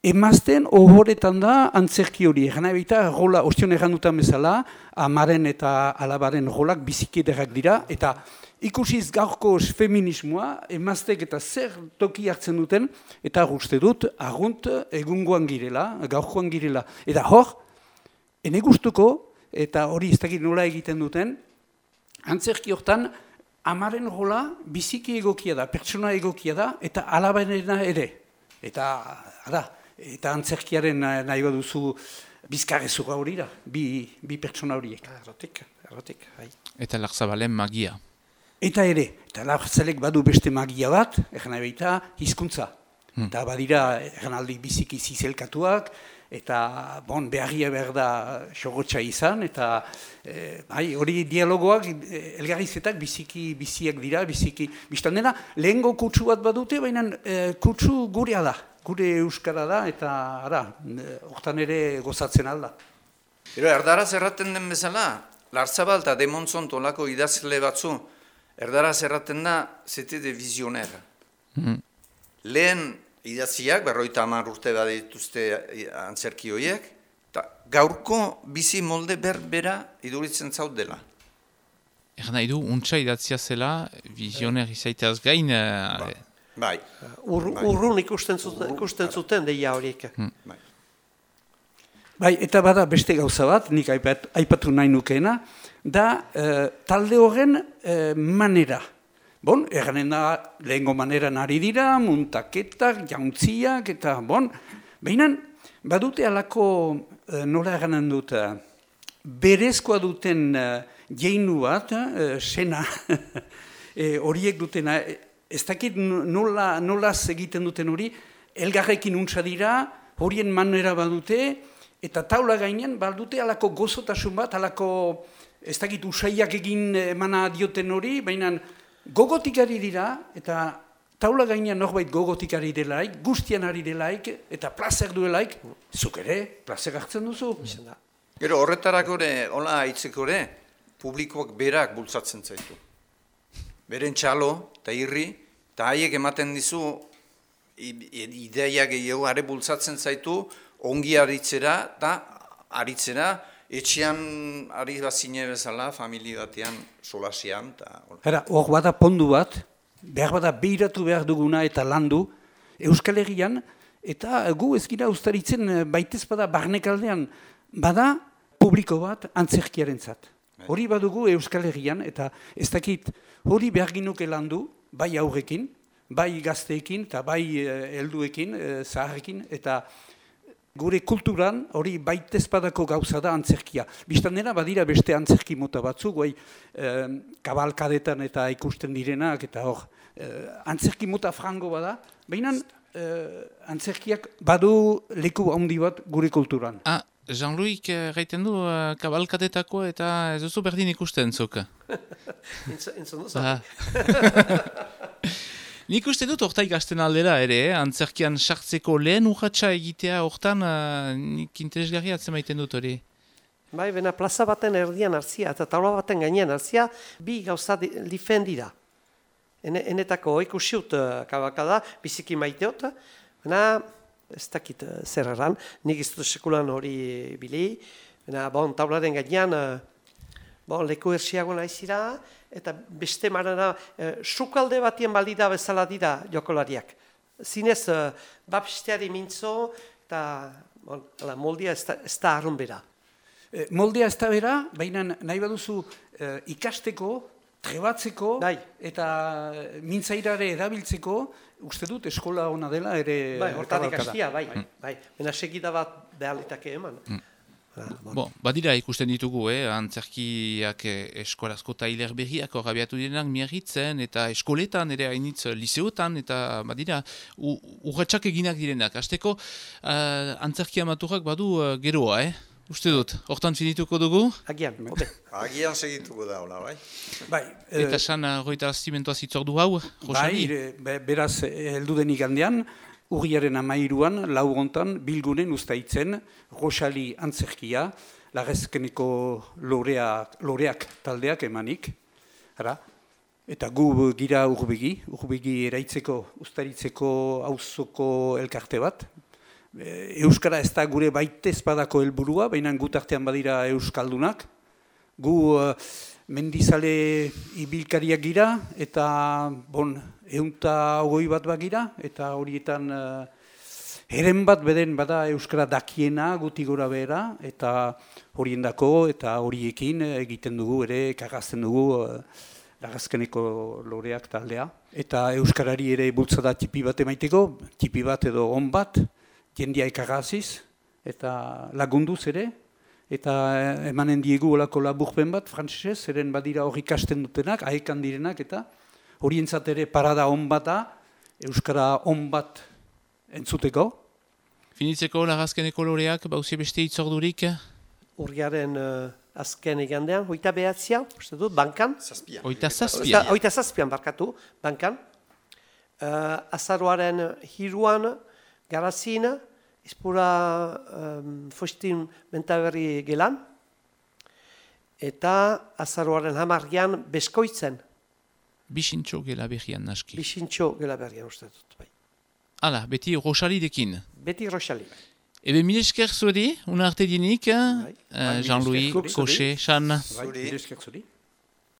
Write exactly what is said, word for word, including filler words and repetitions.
emazten ohoretan da antzerki hori. Egan nahi baita, rola, ostion errandutan bezala, amaren eta alabaren rolak bizikederak dira, eta ikusiz gaurko feminismoa, emaztek eta zer toki hartzen duten, eta uste dut, argunt egungoan girela, gaurkoan girela. Eta hor, ene gustuko, eta hori ez dakit nola egiten duten, antzerki hortan, amaren rola biziki egokia da, pertsona egokia da, eta alabarena ere. Eta, ara, eta antzerkiaren nahi baduzu bizkarrezura hori da, bi, bi pertsona horiek. Errotik, errotik. Hai. Eta Larzabalen magia. Eta ere, eta Larzalek badu beste magia bat, egan nahi baita, hizkuntza. Hmm. Eta badira, egan aldi biziki zizelkatuak, eta bon, beharria behar da xogotxa izan, eta eh, bai, hori dialogoak, elgarrizetak biziki biziak dira, biziki, biztan dena, lehengo kutsu bat badute, baina eh, kutsu gurea da, gure euskara da, eta ara, hortan ere gozatzen alda. Ero, erdaraz erraten den bezala, Larzabal eta Demontzon tolako idazle batzu, erdaraz erraten da, zete de vizioner. Mm. Lehen idaziak, berroita hamar urte badituzte antzerki horiek, eta gaurko bizi molde berbera iduritzen zaut dela. Egan nahi du, untsa idatzia zela, vizioner izaiteaz gain... Ba, bai. Ur, bai. Urrun ikusten zuten, ikusten zuten deia horiek. Hmm. Bai. Bai, eta bada beste gauza bat, nik aipat, aipatu nahi nukeena, da eh, talde horren eh, manera. Bon, erganen da lehengo maneran ari dira, muntaketak, jauntziak, eta bon, behinan, badute alako, eh, nola erganen dut, berezkoa duten eh, jeinu bat, eh, sena, eh, horiek dutena, ez dakit nola, nolaz egiten duten hori, elgarrekin untsa dira, horien manera badute, eta taula gainean badute alako gozotasun bat, alako, ez dakit usaiak egin emana dioten hori, baina gogotik ari dira, eta taula gainean norbait gogotik ari delaik, guztian ari delaik, eta plazer duelaik, zuk ere, plazer hartzen duzu. Gero, horretarako ere, hola haitzeko ere, publikoak berak bultzatzen zaitu. Beren txalo, eta irri, eta haiek ematen dizu, ideia gehiago, are bultzatzen zaitu, ongi aritzera, eta aritzera, etxean ari bazine bezala, familia batean, solasian. Hera, hor bada pondu bat, behar bada behiratu behar duguna eta landu, Euskal Herrian, eta gu ez gira ustaritzen baitez bada barnekaldean, bada publiko bat antzerkiaren zat. Hori badugu Euskal Herrian, eta ez dakit hori behar ginuke landu, bai aurrekin, bai gazteekin, eta bai helduekin, zaharrekin, eta gure kulturan hori baitezpadako gauza da antzerkia. Biztanera badira beste antzerki mota batzuk, guai eh, kabalkadetan eta ikusten direnak, eta hor, eh, antzerki mota frango bada, baina eh, antzerkiak badu leku handi bat gure kulturan. Ah, Jean-Louis gaiten du uh, kabalkadetako eta ez duzu berdin ikusten zuk. Entzun duzu. Nik uste dut horta ikasten aldera ere, eh? Antzerkian sartzeko lehen urratsa egitea hortan uh, nik interesgarria atzemaiten dut hori. Bai, bena plaza baten erdian hartzia eta taula baten gainean hartzia, bi gauza difen dira. Ene, enetako ikusiut uh, kabalkada, biziki maiteot, bena ez dakit uh, zer erran, nik ez dut sekulan hori bili, bena bon, taularen gainean, uh, bon, leku ersiago naizira, eta beste marana, uh, sukalde batien balida bezala dira jokolariak. Zinez, uh, bapsteari mintzo, eta bon, ala, moldia ez da, ez da arrun bera. E, moldea ez da bera, baina nahi baduzu e, ikasteko, trebatzeko, Dai. eta mintzairare erabiltzeko, uste dut eskola ona dela ere... Bai, hortan ikastia, bai, mm. bai. Bena segida bat behalitake eman. Mm. Ah, bon. Bon, badira ikusten ditugu, eh? Antzerkiak eskolazko tailer berriak horrabiatu direnak miarritzen, eta eskoletan ere hainitz liseotan, eta badira urratxak eginak direnak. Hasteko uh, antzerkia maturak badu uh, geroa, eh? Uste dut, hortan finituko dugu? Agian, obe. Agian segituko da, hola, bai? Bai. Eta san, uh, roita astimentoa zitzordu hau, Rosali? Bai, be, beraz, heldu denik handean, urriaren amairuan, lau gontan, bilgunen ustaitzen, Rosali antzerkia, Larrezkeneko lorea, loreak taldeak emanik, ara? Eta gu gira urbegi, urbegi eraitzeko, ustaritzeko auzoko elkarte bat, Euskara ez da gure baitez badako helburua, baina gutartean badira euskaldunak. Gu uh, mendizale ibilkariak gira, eta bon, eunta ogoi bat bagira, eta horietan uh, eren bat beden bada euskara dakiena guti gora behera, eta horien dako, eta horiekin egiten dugu ere, kagazten dugu uh, lagazkeneko loreak taldea. Eta euskarari ere bultzada tipi bat emaiteko, tipi bat edo on bat, jendia ekagaziz, eta lagunduz ere, eta emanen diegu olako laburpen bat, frantzesez, eren badira hori ikasten dutenak, aekan direnak, eta horientzat ere parada on bata, euskara on bat entzuteko. Finitzeko lagazkeneko loreak, bauzi beste itzordurik? Urriaren uh, azken egandean, hoita behatzia, uste dut, bankan. Zazpia. Hoita zazpia. Hoita zazpian barkatu, bankan. Uh, azaroaren hiruan, garazin, izpura um, fostin mentaberri gelan, eta azaroaren hamargian beskoitzen. Bixintxo gela berrian naski. Bixintxo gela berrian uste dut, bai. Hala, beti Roxalidekin. Beti Roxali. Ebe mil esker zuri, una arte dienik, Bai. uh, Jean-Louis, Mil esker zuri. Koche, Xan. Bai, mil esker zuri.